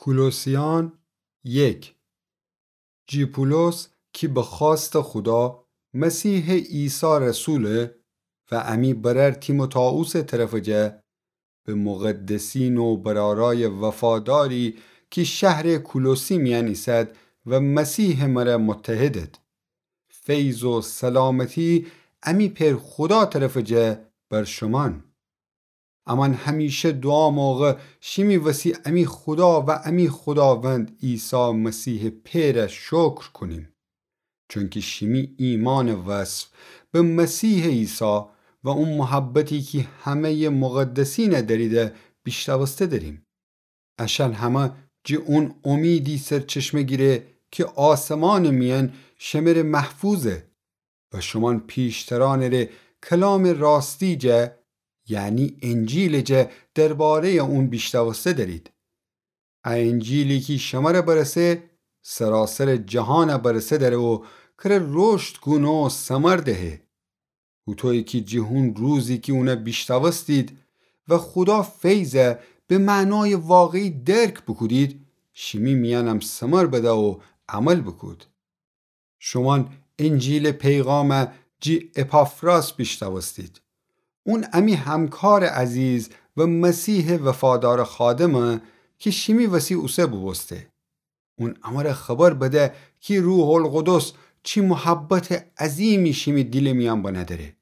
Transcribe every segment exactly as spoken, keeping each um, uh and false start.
کولوسیان یک. جی پولس کی به خوأستٚ خودا مسیحٚ عیسی رسوله و امی برأر تیموتائوسٚ طرفٚ جا، به مقدسین و برأرأیٚ وفاداری کی شهرٚ کولوسی میأن ایسد و مسیحٚ مره متحدد. فیض و سلامتی امی پئر خودا طرفٚ جا بر شومأن. امأن همیشه دوعا موقع شیمی وسی امی خودا و امی خوداوند عیسی مسیحٚ پئر شکر کونیم، چونکی شیمی ایمانٚ وصف به مسیحٚ عیسی و او محبتی کی همه‌یٚ مقدسین دأریده بیشنوسته دأریم. اشأن همه جی اون امیدی سرچشمه گیره کی آسمانٚ میأن شمره محفوظه و شومأن پیشترأنٚ ره کلامٚ راستی جا، یعنی انجیلٚ جا، درباره‌یٚ اون بیشنوسته دأرید. ا انجیلی کی شمره برسه، سراسرٚ جهان برسه دأره و کره رشد کونه و ثمر دهه. هوطویی کی جی هون روزی کی اون بیشنوستید و خودا فیض به معنایٚ واقعی درک بوکودید، شیمی میأنم ثمر بده و عمل بوکود. شومأن انجیلٚ پیغام جی اپافراس بیشنوستید. اون امی همکارٚ عزیز و مسیحٚ وفادارٚ خادمه کی شیمی وسی اوسه بوبوسته. اون امره خبر بده کی روح‌القدس چی محبتٚ عظیمی شیمی دیلٚ میأن بنه دأره.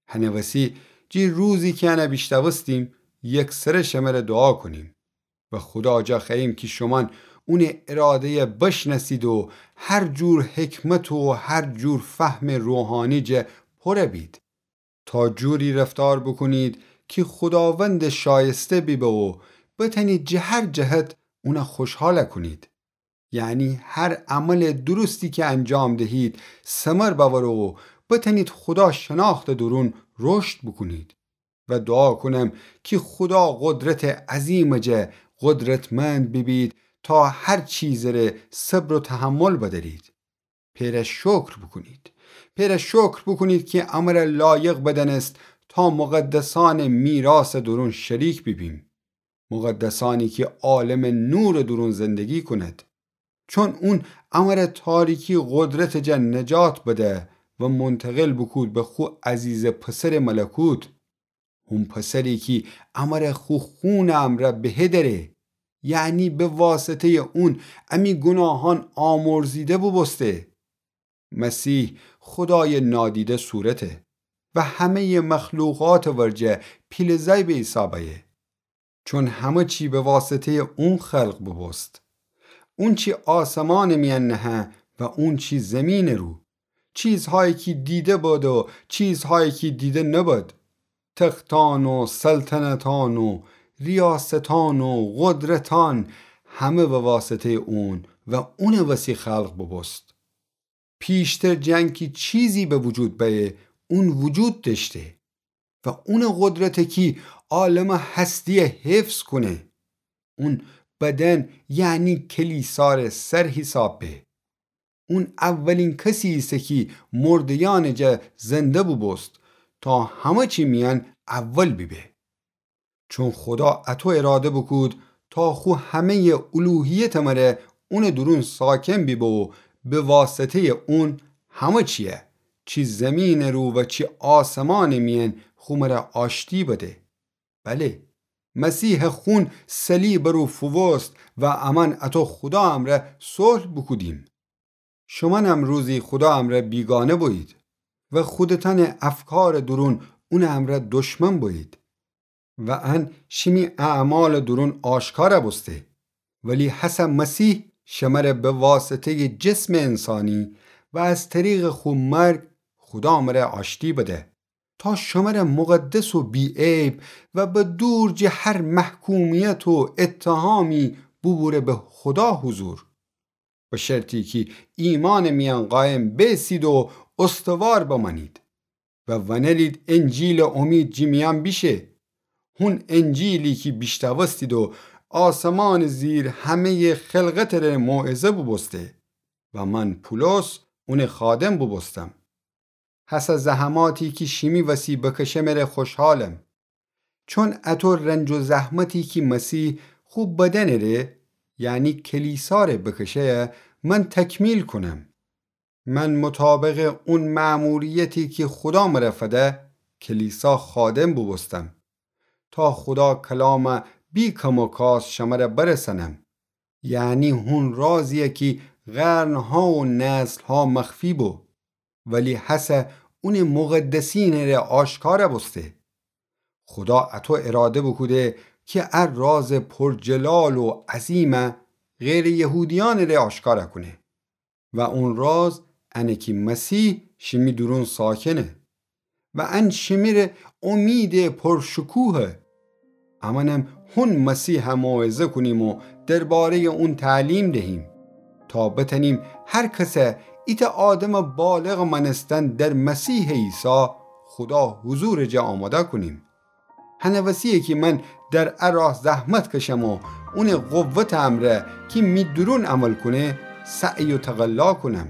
هنٚ وسی جی روزی کی انه بیشنوستیم، یکسره شمره دوعا کونیم و خودا جا خوأییم کی شومأن اونٚ اراده‌یه بشنأسید و هر جور حکمت و هر جور فهمٚ روحانی جا پوره بید، تا جوری رفتار بوکونید کی خوداوند شایسته بیبه و بتأنید جه هر جهت اونه خوشحال کونید. یعنی هر عملٚ درستی کی انجام دهید، ثمر بأوره و بتأنید خودا شناختٚ دورون رشد بوکونید. و دوعا کونم کی خودا قدرتٚ عظیمٚ جا قدرتمند بیبید تا هر چیزٚ ره صبر و تحمل بدأرید. پئر شکر بوکونید. پئر شکر بوکونید کی امره لایق بدأنست تا مقدسأنٚ میراثٚ دورون شریک بیبیم. مقدسأنی کی عالمٚ نورٚ دورون زندگی کونید. چون اون امره تاریکی قدرتٚ جا نجات بده و منتقل بوکود به خو عزیزٚ پسرٚ ملکوت. هون پسری کی امره خو خونٚ امرأ بهه دأره، یعنی به واسطه‌یٚ اون امی گوناهأن آمرزیده بوبوسته. مسیح خودایٚ نادیده صورته و همه‌یٚ مخلوقاتٚ ورجه پیله زأی به حساب أیه. چون همه چی به واسطه‌یٚ اون خلق بوبوست. اون چی آسمانٚ میأن نهه و اون چی زیمینٚ رو. چیزهایی کی دیده بد و چیزهایی کی دیده نبد. تختأن و سلطنتأن و ریاستأن و قدرتأن همه به واسطه‌یٚ اون و اونٚ وسی خلق بوبوست. پیشتر جٚه انکی چیزی به وجود بأیه، اون وجود دأشته و اونٚ قدرته کی عالمٚ هستی‌یه حفظ کونه. اون بدن، یعنی کلیسا ره سر حساب به. اون اولین کسی ایسه کی مرده‌یأنٚ جا زنده بوبوست، تا همه چی میأن اول بیبه. چون خودا اطو اراده بوکود تا خو همه‌یٚ الوهیتٚ مره اونٚ دورون ساکن بیبه و به واسطه‌یٚ اون همه چی‌یه، چی زیمینٚ رو و چی آسمانٚ میأن، خو مره آشتی بده. بله، مسیحٚ خون صلیبٚ رو فووست و امأن اطو خودا امرأ صلح بوکودیم. شومأنم روزی خودا امرأ بیگانه بویید و خودتأنٚ افکارٚ دورون اونٚ امرأ دشمن بویید و ان شیمی اعمالٚ دورون آشکار بوسته. ولی هسه مسیح شمره به واسطه‌یٚ جسمٚ انسانی و از طریقٚ خو مرگ خودا مره آشتی بده، تا شمره مقدس و بی‌عیب و به دور جٚه هر محکومیت و اتهامی بوبوره به خودا حضور. به شرطی کی ایمانٚ میأن قایم بیسید و استوار بمأنید و ونلید انجیلٚ امید جٚه میأن بیشه. هون انجیلی کی بیشنوستید و آسمانٚ زیر همه‌یٚ خلقتٚ ره موعظه بوبوسته و من پولس اونٚ خادم بوبوستم. هسه زحماتی کی شیمی وسی بکشمٚ ره خوشحالم. چون اطو رنج و زحمتی کی مسیح خو بدنٚ ره، یعنی کلیسا ره بکشه، من تکمیل کونم. من مطابق اون مأموریتی کی خودا مره فده، کلیسا خادم بوبوستم، تا خودا کلام بی کم و کاست شمره برسنم. یعنی هون رازیه کی قرنها و نسلها مخفی بو، ولی هسه اونٚ مقدسینٚ ره آشکار بوسته. خودا اطو اراده بوکوده کی ا راز پرجلال و عظیمه غیرٚ یهودیأنٚ ره آشکار کونه. و اون راز انه کی مسیح شیمی دورون ساکنه. و ان شیمی ره امیدٚ پرشکوهه. امأنم هون مسیح موعظه کونیم و درباره‌یٚ اون تعلیم دهیم، تا بتأنیم هر کسه ایتأ آدمٚ بالغٚ مأنستن در مسیحٚ عیسی خودا حضورٚ جا آماده کونیم. هنٚ وسی‌یه کی من در ا راه زحمت کشم و اونٚ قوتٚ امرأ کی می دورون عمل کونه، سعی و تقلا کونم.